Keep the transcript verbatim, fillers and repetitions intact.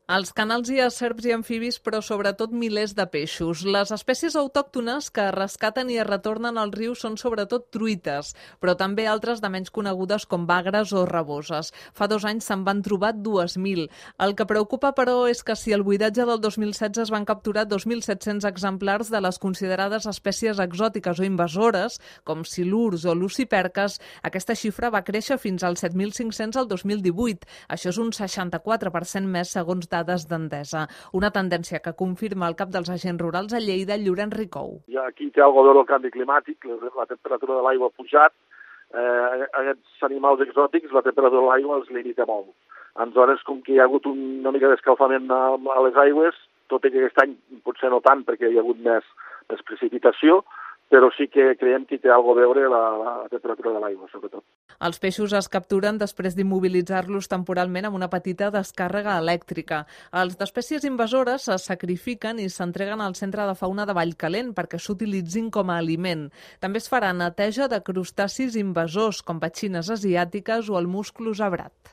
Als canals hi ha serps i amfibis, però sobretot milers de peixos. Les espècies autòctones que es rescaten i es retornen als rius són sobretot truites, però també altres de menys conegudes com bagres o raboses. Fa dos anys se'n van trobar dues mil. El que preocupa, però, és que si al buidatge del dos mil setze es van capturar dos mil set-cents exemplars de les considerades espècies exòtiques o invasores, com silurs o luciperques, aquesta xifra va créixer fins als set mil cinc-cents el dos mil divuit. Això és un seixanta-quatre per cent més segons dades d'Endesa. Una tendència que confirma el cap dels agents rurals a Lleida, Llorenç Ricou. Ja aquí té alguna cosa a veure el canvi climàtic, la temperatura de l'aigua ha pujat, eh, aquests animals exòtics, la temperatura de l'aigua els limita molt. Aleshores, com que hi ha hagut una mica d'escalfament a, a les aigües, tot i que aquest any potser no tant perquè hi ha hagut més, més precipitació, però sí que creiem que té alguna cosa a veure la, la temperatura de l'aigua, sobretot. Els peixos es capturen després d'immobilitzar-los temporalment amb una petita descàrrega elèctrica. Els d'espècies invasores es sacrifiquen i s'entreguen al Centre de Fauna de Vallcalent perquè s'utilitzin com a aliment. També es farà neteja de crustacis invasors, com petxines asiàtiques o el musclo zebrat.